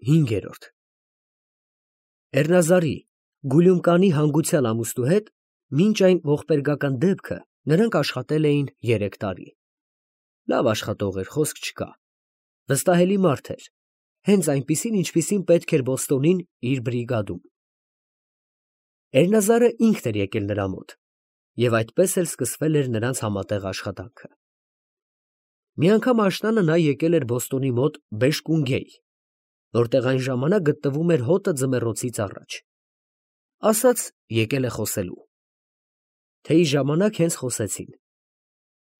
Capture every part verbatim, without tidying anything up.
Հինգերորդ Էրնազարի Գուլյումկանի հանգուցյալ ամուսնու հետ մինչ այն ողբերգական դեպքը նրանք աշխատել էին երեք տարի. լավ աշխատող էր, խոսք չկա, վստահելի մարդ էր, հենց այնպիսին, ինչպիսին պետք էր Բոստոնին իր բրիգադում։ Էրնազարը ինքն էր եկել նրա մոտ, և այդպես էլ սկսվել էր նրանց համատեղ աշխատանքը։ Մի անգամ աշնանը նա եկել էր Բոստոնի մոտ Բեշկունգեյ, որտեղ այն ժամանակ գտնվում էր հոտը ձմեռոցից առաջ, ասաց եկել է խոսելու։ Թեյի ժամանակ հենց խոսեցին։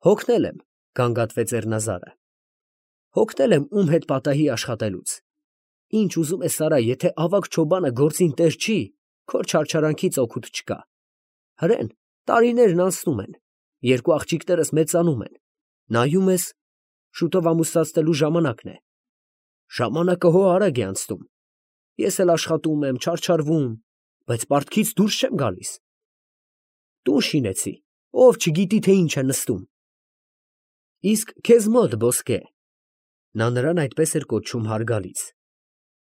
Հոգնել եմ, գանգատվեց Էրնազարը, հոգնել եմ ում հետ պատահի աշխատելուց։ Ինչ ուզում ես արա, եթե ավագ չոբանը գործին տեր չի, քոր չարչարանքից օգուտ չկա։ Հրեն, տարիներն անցնում են, երկու աղջիկներս մեծանում են, նայում ես, շուտով ամուսնացնելու ժամանակն է։ Ժամանակը հո արագ է անցնում, ես էլ աշխատում եմ, չարչարվում, բայց պարտքից դուրս չեմ գալիս։ Տուն շինեցի, ով չգիտի, թե ինչ է նստում։ Իսկ քեզ մոտ, ոսկե, նա նրան այդպես էր կոչում հարգալից,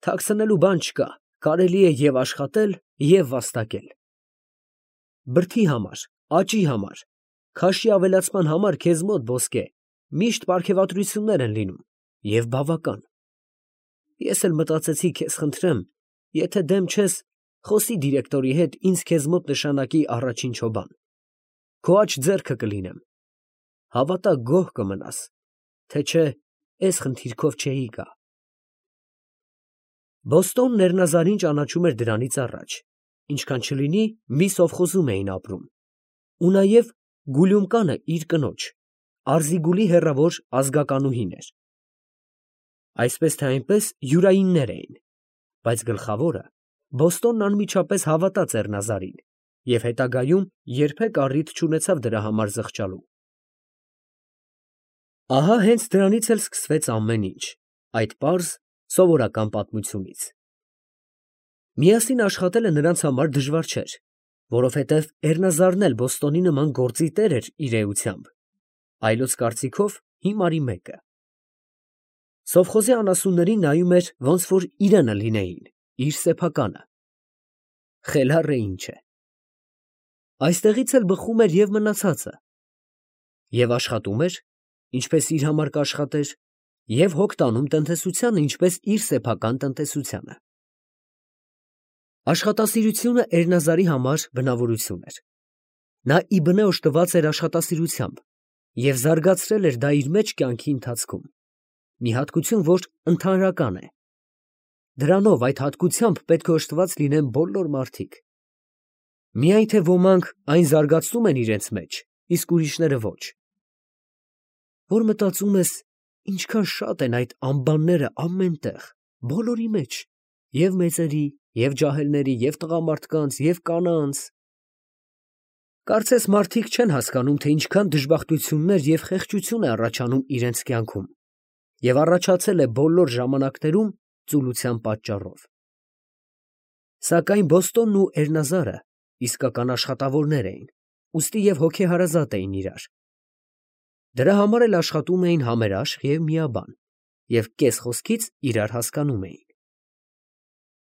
թաքցնելու բան չկա, կարելի է և աշխատել, և վաստակել։ Բրդի համար, աճի համար, քաշի ավելացման համար քեզ մոտ, ոսկե, միշտ պարգևատրություններ են լինում, և բավական։ Ես էլ մտածեցի, քեզ խնդրեմ, եթե դեմ չես, խոսի դիրեկտորի հետ, ինձ քեզ մոտ նշանակի առաջին չոբան, քո աջ ձեռքը կլինեմ, հավատա գոհ կմնաս, թե չէ, էս խնդիրքով չէի գա։ Բոստոնն Էրնազարին ճանաչում էր դրանից առաջ, ինչքան չլինի մի սովխոզում էին ապրում, ու նաև Գուլյումկանը իր կնոջ, Արզիգուլի հեռավոր ազգականուհին էր։ Այսպես թե այնպես յուրայիններ էին, բայց գլխավորը Բոստոնն անմիջապես հավատաց Էրնազարին և հետագայում երբեք առիթ չունեցավ դրա համար զղջալու։ Ահա հենց դրանից էլ սկսվեց ամեն ինչ, այդ պարզ, սովորական պատմությունից։ Միասին աշխատելը նրանց համար դժվար չէր, որովհետև Էրնազարն էլ Բոստոնի նման գործի տեր էր իր էությամբ, այլոց կարծիքով հիմարի մեկը։ Սովխոզի անասուններին նայում էր, ոնց որ իրենը լինեին, իր սեփականը։ Խելառ է ինչ է։ Այստեղից էլ բխում էր և մնացածը։ Եվ աշխատում էր, ինչպես իր համար կաշխատեր, և հոգ տանում տնտեսությանը, ինչպես իր սեփական տնտեսությանը։ Աշխատասիրությունը Էրնազարի համար բնավորություն էր։ Նա ի բնե օժտված էր աշխատասիրությամբ և զարգացրել էր դա իր մեջ կյանքի ընթացքում, մի հատկություն, որ ընդհանրական է։ Դրանով, այդ հատկությամբ պետք է օժտված լինեն բոլոր մարդիկ։ Միայն թե ոմանք այն զարգացնում են իրենց մեջ, իսկ ուրիշները ոչ։ Որ մտածում ես, ինչքան շատ են այդ անբանները ամեն տեղ, բոլորի մեջ, և մեծերի, և ջահելների, և տղամարդկանց, և կանանց։ Կարծես մարդիկ չեն հասկանում, թե ինչքան դժբախտություններ և խեղճություն է առաջանում իրենց կյանքում, և առաջացել է բոլոր ժամանակներում ծուլության պատճառով։ Սակայն Բոստոնն ու Էրնազարը իսկական աշխատավորներ էին, ուստի և հոգեհարազատ էին իրար։ Դրա համար էլ աշխատում էին համերաշխ և միաբան, և կես խոսքից իրար հասկանում էին։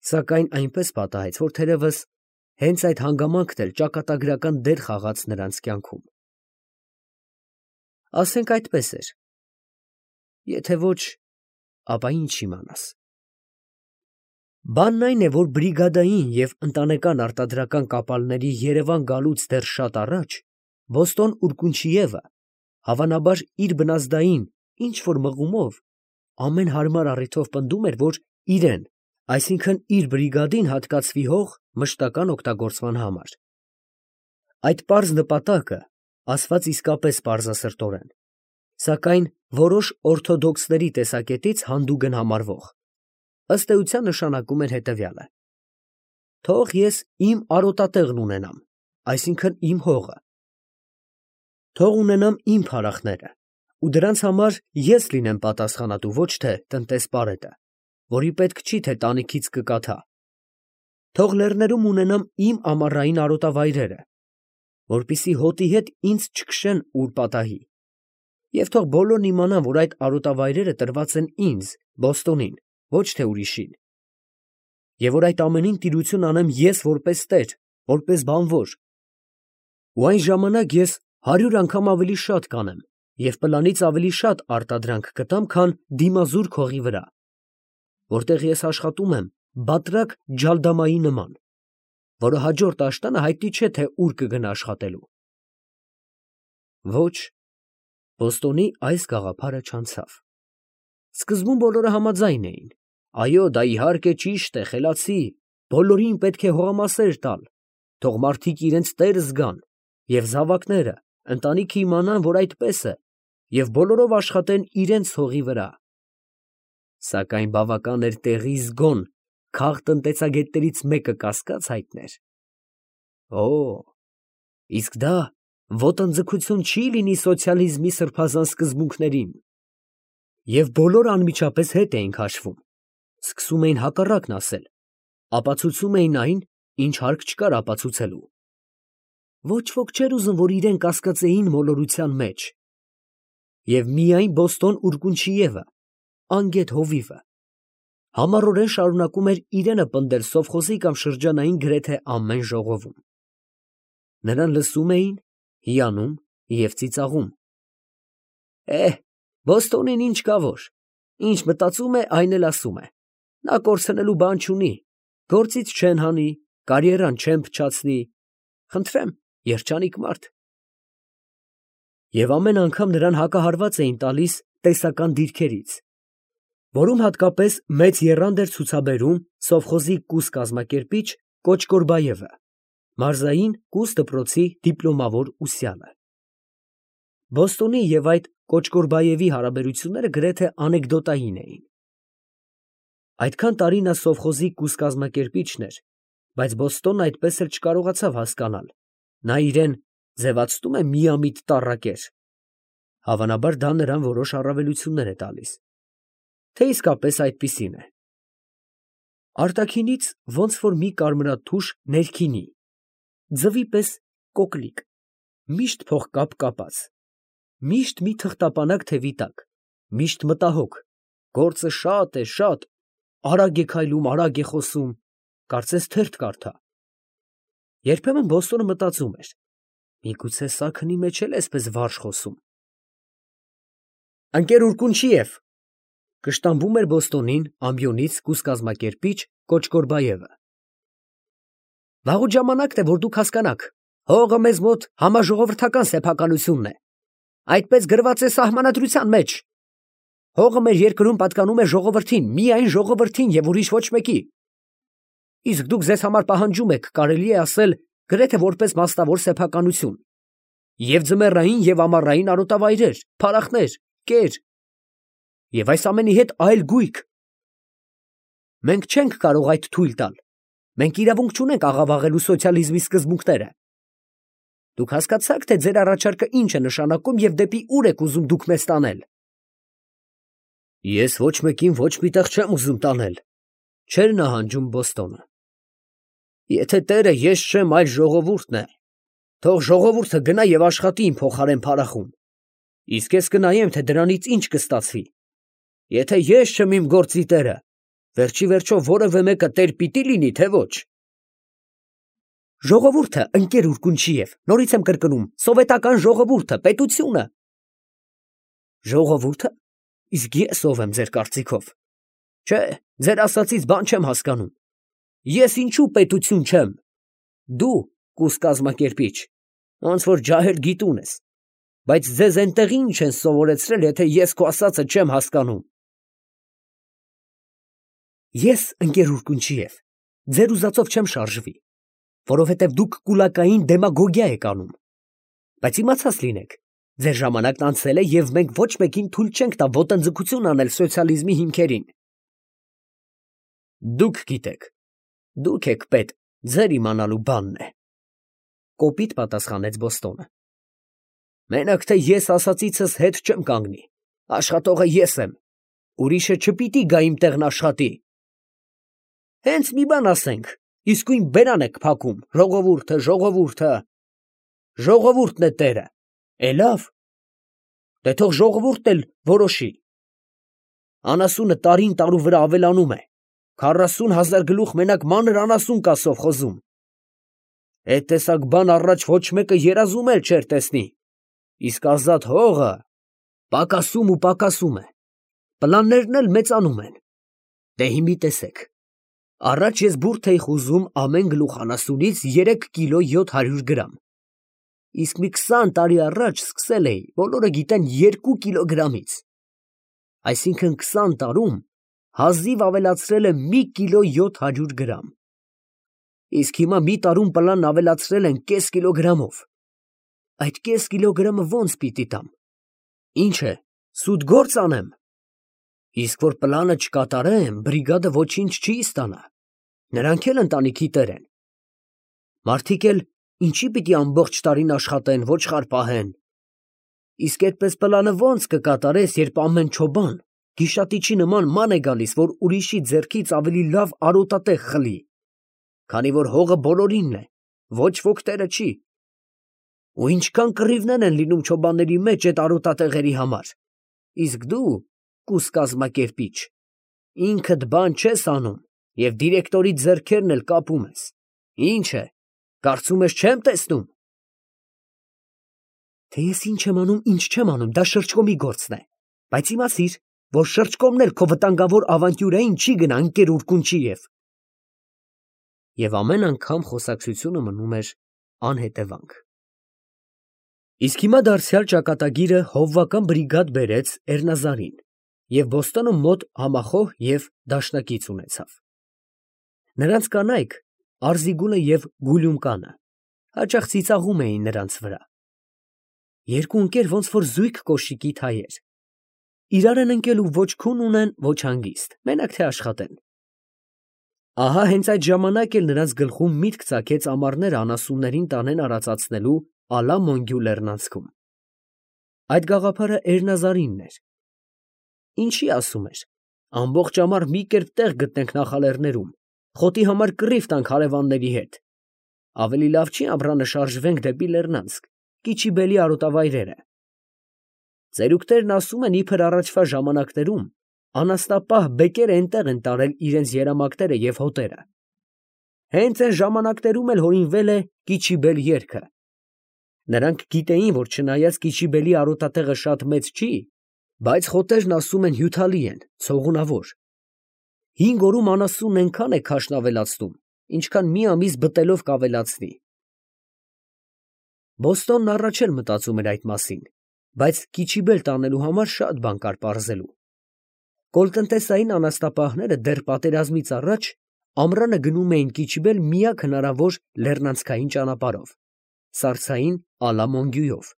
Սակայն այնպես պատահեց, որ թերևս հենց այդ հանգամանքն էլ ճակատագրական դեր խաղաց նրանց կյանքում։ Ասենք այդպես էր, եթե ոչ, ապա ինչ իմանաս։ Բանն այն է, որ բրիգադային և ընտանեկան արտադրական կապալների Երևան գալուց դեռ շատ առաջ Բոստոն Ուրկունչիևը, հավանաբար իր բնազդային ինչ֊որ մղումով, ամեն հարմար առիթով պնդում էր, որ իրեն, այսինքն իր բրիգադին հատկացվի հող մշտական օգտագործման համար։ Այդ պարզ նպատակը ասված իսկապես պարզասրտորեն, սակայն որոշ օրթոդոքսների տեսակետից հանդուգն համարվող, ըստ էության նշանակում էր հետևյալը. թող ես իմ արոտատեղն ունենամ, այսինքն իմ հողը, թող ունենամ իմ փարախները, ու դրանց համար ես լինեմ պատասխանատու, ոչ թե տնտեսպարետը, որի պետք չի, թե տանիքից կկաթա, թող լեռներում ունենամ իմ ամառային արոտավայրերը, որպեսզի հոտի հետ ինձ չքշեն ուր պատահի, և թող բոլորն իմանան, որ այդ արոտավայրերը տրված են ինձ, Բոստոնին, ոչ թե ուրիշին։ Եվ որ այդ ամենին տիրություն անեմ ես որպես տեր, որպես բանվոր։ Ու այն ժամանակ ես հարյուր անգամ ավելի շատ կանեմ և պլանից ավելի շատ արտադրանք կտամ, քան դիմազուր քողի վրա, որտեղ ես աշխատում եմ բատրակ ջալդամայի նման, որը հաջորդ աշտանը հայտնի չէ, թե ուր կգնա աշխատելու։ Ոչ, Բոստոնի այս գաղափարը չանցավ։ Սկզբում բոլորը համաձայն էին. այո, դա իհարկե ճիշտ է, խելացի, բոլորին պետք է հողամասեր տալ, թող մարդիկ իրենց տեր զգան, և զավակները, ընտանիքը իմանան, որ այդպես է, և բոլորով աշխատեն իրենց հողի վրա։ Սակայն բավական էր տեղի զգոն քաղ տնտեսագետներից մեկը կասկած հայտներ։ Օ, իսկ դա ոտնձգություն չի լինի սոցիալիզմի սրբազան սկզբունքներին։ Եվ բոլորը անմիջապես հետ էին քաշվում, սկսում էին հակառակն ասել, ապացուցում էին այն, ինչ հարկ չկար ապացուցելու։ Ոչ ոք չէր ուզում, որ իրեն կասկածեին մոլորության մեջ։ Եվ միայն Բոստոն Ուրկունչիևը, անգետ հովիվը, համառորեն շարունակում էր իրենը պնդել սովխոզի կամ շրջանային գրեթե ամեն ժողովում։ Նրան լսում էին, հիանում և ծիծաղում։ Է, Բոստոնին ինչ կա որ, ինչ մտածում է, այն էլ ասում է։ Նա կորցնելու բան չունի, գործից չեն հանի, կարիերան չեն փչացնի, խնդրեմ, երջանիկ մարդ։ Եվ ամեն անգամ նրան հակահարված էին տալիս տեսական դիրքերից, որում հատկապես մեծ եռանդ էր ցուցաբերում սովխոզի կուս կազմակերպիչ Կոչկորբայևը, մարզային կուս դպրոցի դիպլոմավոր ուսյալը։ Բոստոնի և այդ Կոչկորբայևի հարաբերությունները գրեթե անեկդոտային էին։ Այդքան տարի նա սովխոզի կուս կազմակերպիչն էր, բայց Բոստոնն այդպես էլ չկարողացավ հասկանալ, նա իրեն ձևացնում է միամիտ տառակեր, հավանաբար դա նրան որոշ առավելություններ է տալիս, թե իսկապես այդպիսին է։ Արտաքինից ոնց որ մի կարմրաթուշ ներքինի, ձվի պես կոկլիկ, միշտ փողկապ կապած, միշտ մի թղթապանակ թևի տակ, միշտ մտահոգ, գործը շատ է, շատ, արագ է քայլում, արագ է խոսում, կարծես թերթ կարդա։ Երբեմն Բոստոնը մտածում էր. միգուցե սաքնի մեջ էլ էսպես վարժ խոսում։ Ընկեր Ուրկունչիև, կշտամբում էր Բոստոնին ամբիոնից կուս կազմակերպիչ Կոչկորբայևը։ Վաղուց ժամանակն է, որ դուք հասկանաք, հողը մեզ մոտ համաժողովրդական սեփականությունն է, այդպես գրված է սահմանադրության մեջ։ Հողը մեր երկրում պատկանում է ժողովրդին, միայն ժողովրդին և ուրիշ ոչ մեկի։ Իսկ դուք ձեզ համար պահանջում եք, կարելի է ասել, գրեթե որպես մասնավոր սեփականություն, և ձմեռային և ամառային արոտավայրեր, փարախներ, կեր, և այս ամենի հետ այլ գույք։ Մենք չենք կարող այդ թույլ տալ, մենք իրավունք չունենք աղավաղելու սոցիալիզմի սկզբունքները։ Դուք հասկացա՞ք, թե ձեր առաջարկը ինչ է նշանակում և դեպի ուր եք ուզում դուք մեզ տանել։ Ես ոչ մեկին ոչ մի տեղ չեմ ուզում տանել, չէր նահանջում Բոստոնը։ Եթե տերը ես չեմ, այլ ժողովուրդն է, թող ժողովուրդը գնա և աշխատի իմ փոխարեն փարախում, իսկ ես կնայեմ, թե դրանից ինչ կստացվի։ Եթե ես չեմ իմ գործի տերը, վերջի վերջո որևէ մեկը տեր պիտի լինի, թե ոչ։ Ժողովուրդը, ընկեր Ուրկունչիև, նորից եմ կրկնում, սովետական ժողովուրդը, պետությունը։ Ժողովուրդը։ Իսկ ես ով եմ ձեր կարծիքով։ Չէ, ձեր ասածից բան չեմ հասկանում։ Ես ինչու պետություն չեմ։ Դու կուս կազմակերպիչ, ոնց որ ջահել գիտուն ես, բայց ձեզ այնտեղ ինչ են սովորեցրել, եթե ես քո ասածը չեմ հասկանում։ Ես, ընկեր Ուրկունչիև, ձեր ուզածով չեմ շարժվի, որովհետև դուք կուլակային դեմագոգիա եք անում, բայց իմացած լինեք, ձեր ժամանակն անցել է և մենք ոչ մեկին թույլ չենք տա ոտնձգություն անել սոցիալիզմի հիմքերին։ Դուք գիտեք, դուք եք պետ, ձեր իմանալու բանն է, կոպիտ պատասխանեց Բոստոնը։ Մենակ թե ես ասածիցս հետ չեմ կանգնի, աշխատողը ես եմ, ուրիշը չպիտի գա իմ տեղն աշխատի։ Հենց մի բան ասենք, իսկույն բերան եք փակում, ժողովուրդը, ժողովուրդը, ժողովուրդն է տերը, է լավ, դե թող ժողովուրդն էլ որոշի։ Անասունը տարին տարու վրա ավելանում է, քառասուն հազար գլուխ մենակ մանր անասուն կա սովխոզում։ Էդ տեսակ բան առաջ ոչ մեկը երազում էլ չէր տեսնի, իսկ ազատ հողը պակասում ու պակասում է, պլաններն էլ մեծանում են։ Դե հիմի տեսեք, առաջ ես բուրդ էի խուզում ամեն գլուխ անասունից երեք կիլո յոթ հարյուր գրամ, իսկ մի քսան տարի առաջ սկսել էի, բոլորը գիտեն, երկու կիլոգրամից, այսինքն քսան տարում հազիվ ավելացրել եմ մի կիլո յոթ հարյուր գրամ, իսկ հիմա մի տարում պլանն ավելացրել են կես կիլոգրամով, այդ կես կիլոգրամը ո՞նց պիտի տամ, ինչ է, սուտ գործ անեմ, իսկ որ պլանը չկատարեմ, բրիգադը ոչինչ չի ստանա, նրանք էլ ընտանիքի տեր են, մարդիկ էլ ինչի պիտի ամբողջ տարին աշխատեն, ոչխար պահեն, իսկ այդպես պլանը ո՞նց կկատարես, երբ ամեն չոբան գիշատիչի նման ման է գալիս, որ ուրիշի ձեռքից ավելի լավ արոտատեղ խլի, քանի որ հողը բոլորինն է, ոչ ոք տերը չի, ու ինչքան կռիվներ են լինում չոբանների մեջ այդ արոտատեղերի համար, իսկ դու կուս կազմակերպիչ, ինքդ բան չես անում և դիրեկտորի ձեռքերն էլ կապում ես, ինչ է, կարծում ես չեմ տեսնում։ Թե ես ինչ եմ անում, ինչ չեմ անում, դա շրջկոմի գործն է, բայց իմացիր, որ շրջկոմն էլ քո վտանգավոր ավանտյուրային չի գնա ընկեր Ուրկունչիև։ Եվ ամեն անգամ խոսակցությունը մնում էր անհետևանք։ Իսկ հիմա դարձյալ ճակատագիրը հովվական բրիգադ բերեց Էրնազարին և Բոստոնում մոտ համախոհ և դաշնակից ունեցավ։ Նրանց կանայք, Արզիգուլը և Գուլյումկանը, հաճախ ծիծաղում էին նրանց վրա։ Երկու ընկեր ոնց որ զույգ կոշիկի թայեր, իրար են ընկել ու ոչ քուն ունեն, ոչ հանգիստ, մենակ թե աշխատեն։ Ահա հենց այդ ժամանակ էլ նրանց գլխում միտք ծագեց ամառները անասուններին տանեն արածացնելու Ալա֊Մոնգյու լեռնանցքում։ Այդ գաղափարը Էրնազարինն էր։ Ինչի ասում էր, ամբողջ ամառ մի կերպ տեղ գտնենք նախալեռներում, խոտի համար կռիվ տանք հարևանների հետ, ավելի լավ չի ամռանը շարժվենք դեպի Լեռնանցք, Կիչիբելի արոտավայրերը։ Ծերուկներն ասում են, իբր առաջվա ժամանակներում անասնապահ բեկերը այնտեղ են տարել իրենց երամակները և հոտերը։ Հենց այն ժամանակներում էլ հորինվել է Կիչիբել երգը։ Նրանք գիտեին, որ չնայած Կիչիբելի արոտատեղը շատ մեծ չի, բայց խոտերն ասում են հյութալի են, ցողունավոր։ Հինգ օրում անասունն այնքան է քաշն ավելացնում, ինչքան մի ամիս բտելով կավելացնի։ Բոստոնն առաջ էլ մտածում էր այդ մասին, բայց Կիչիբել տանելու համար շատ բան կար պարզելու։ Կոլտնտեսային անասնապահները դեռ պատերազմից առաջ ամռանը գնում էին Կիչիբել միակ հնարավոր լեռնանցքային ճանապարհով, սառցային Ալա֊Մոնգյուով։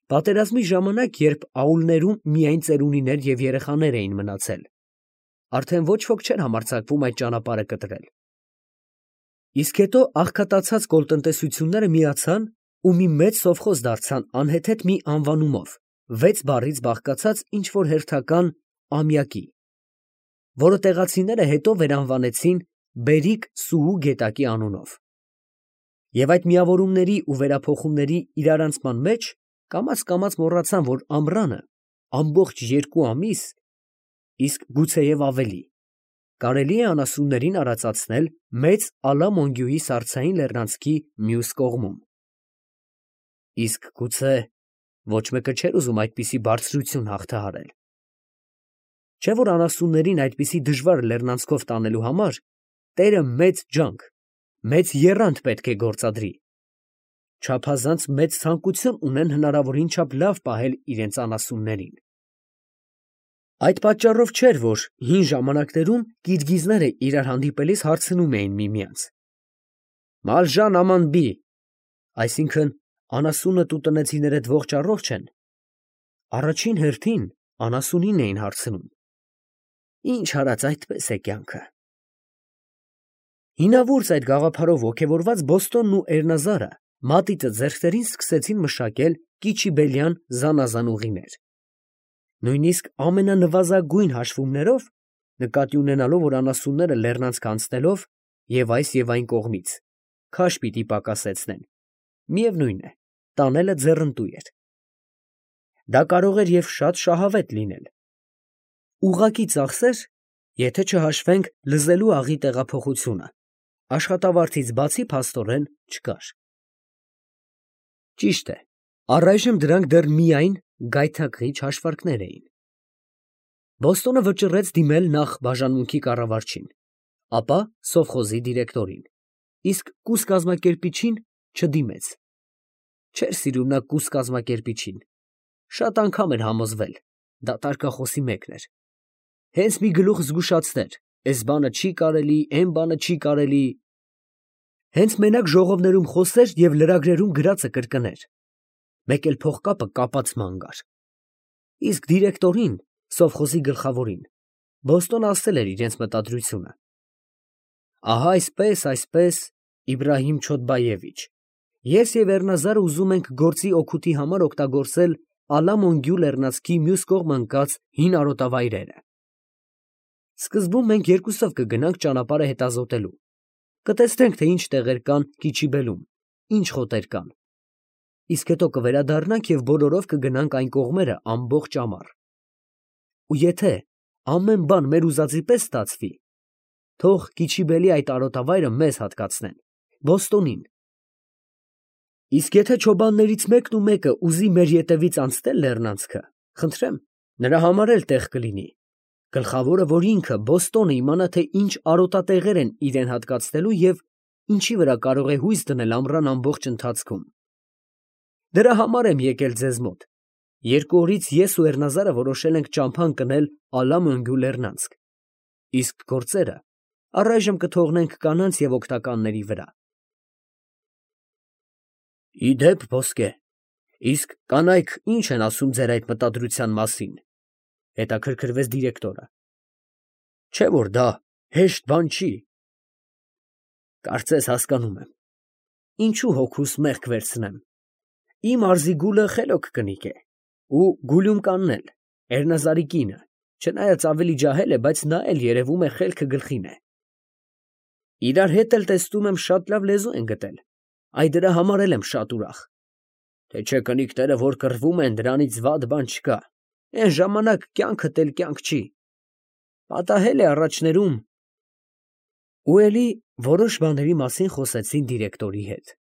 Պատերազմի ժամանակ, երբ աուլներում միայն ծերունիներ և երեխաներ էին մնացել, արդեն ոչ ոք չէր համարձակվում այդ ճանապարհը կտրել։ Իսկ հետո աղքատացած կոլտնտեսությունները միացան ու մի մեծ սովխոզ դարձան անհեթեթ մի անվանումով, վեց բառից բաղկացած ինչ֊որ հերթական ամյակի, որը տեղացիները հետո վերանվանեցին Բերիկ֊Սուհու գետակի անունով։ Եվ այդ միավորումների ու վերափոխումների իրարանցման մեջ կամաց֊կամաց մոռացան, որ ամռանը ամբողջ երկու ամիս, իսկ գուցեև ավելի, կարելի է անասուններին արածացնել մեծ Ալա֊Մոնգյուի սառցային լեռնանցքի մյուս կողմում։ Իսկ գուցե ոչ մեկը չէր ուզում այդպիսի բարձրություն հաղթահարել։ Չէ՞ որ անասուններին այդպիսի դժվար լեռնանցքով տանելու համար տերը մեծ ջանք, մեծ եռանդ պետք է գործադրի, չափազանց մեծ ցանկություն ունեն հնարավորին չափ լավ պահել իրենց անասուններին։ Այդ պատճառով չէր, որ հին ժամանակներում կիրգիզները իրար հանդիպելիս հարցնում էին միմյանց. «Մալժան աման֊բի», այսինքն անասունդ ու տնեցիներդ ողջ առողջ են։ Առաջին հերթին անասունին էին հարցնում. «Ինչ արած այդպես է կյանքը»։ Հինավուրց այդ գաղափարով ոգևորված Բոստոնն ու Էրնազարը մատիտը ձեռքներին սկսեցին մշակել կիչիբելյան զանազան ուղիներ։ Նույնիսկ ամենանվազագույն հաշվումներով, նկատի ունենալով, որ անասունները լեռնանցք անցնելով և այս և այն կողմից քաշ պիտի պակասեցնեն, միևնույն է, տանելը ձեռնտու էր։ Դա կարող էր և շատ շահավետ լինել։ Ուղղակի ծախսեր, եթե չհաշվենք լզելու աղի տեղափոխությունը, աշխատավարձից բացի փաստորեն չկար։ Ճիշտ է, առայժմ դրանք դեռ միայն գայթակղիչ հաշվարկներ էին։ Բոստոնը վճռեց դիմել նախ բաժանմունքի կառավարչին, ապա սովխոզի դիրեկտորին, իսկ կուս կազմակերպիչին չդիմեց։ Չէր սիրում նա կուս կազմակերպիչին, շատ անգամ էր համոզվել, դա տարկախոսի մեկն էր։ Հենց մի գլուխ զգուշացներ, էս բանը չի կարելի, էն բանը չի կարելի։ Հենց մենակ ժողովներում խոսեր և լրագրերում գրածը կրկներ։ Մեկ էլ փողկապը կապած ման կար։ Իսկ դիրեկտորին, սովխոզի գլխավորին, Բոստոնը ասել էր իրենց մտադրությունը. ահա այսպես, այսպես, Իբրահիմ Չոդբայևիչ, ես և Էռնազարը ուզում ենք գործի օգուտի համար օգտագործել Ալամոնգյու լեռնանցքի մյուս կողմը ընկած հին արոտավայրերը։ Սկզբում մենք երկուսով կգնանք ճանապարհը հետազոտելու, կտեսնենք, թե ինչ տեղեր կան Կիչիբելում, ինչ խոտեր կան, իսկ հետո կվերադառնանք և բոլորով կգնանք այն կողմերը ամբողջ ամառ։ Ու եթե ամեն բան մեր ուզածի պես ստացվի, թող Կիչիբելի այդ արոտավայրը մեզ հատկացնեն, Բոստոնին։ Իսկ եթե չոբաններից մեկն ու մեկը ուզի մեր ետևից անցնել լեռնանցքը, խնդրեմ, նրա համար էլ տեղ կլինի, գլխավորը, որ ինքը Բոստոնը իմանա, թե ինչ արոտատեղեր են իրան հատկացնելու և ինչի վրա կարող է հույս դնել ամռան ամբողջ ընթացքում։ Դրա համար եմ եկել ձեզ մոտ, երկու օրից ես ու Էռնազարը որոշել ենք ճամփա ընկնել Ալամոնգյու լեռնանցք, իսկ գործերը առայժմ կթողնենք կանանց և օգտականների վրա։ Ի դեպ, ոսկե, իսկ կանայք ի՞նչ են ասում ձեր այդ մտադրության մասին, ֊ հետաքրքրվեց դիրեկտորը։ Չէ՞ որ դա հեշտ բան չի։ Կարծես հասկանում եմ, ինչու հոգուս մեղք վերցնեմ, իմ արզի գուլը խելոք կնիկ է, ու Գուլյումկանն էլ, Էռնազարի կինը, չնայած ավելի ջահել է, բայց նա էլ երևում է խելքը գլխին է։ Իրար հետ էլ տեսնում եմ շատ լավ լեզու են գտել, այ դրա համար էլ եմ շատ ուրախ։ Թե չէ կնիկները, որ կռվում են, դրանից վատ բան չկա, էն ժամանակ կյանքդ էլ կյանք չի, պատահել է առաջներում։ Ու էլի որոշ բաների մասին խոսեցին դիրեկտորի հետ։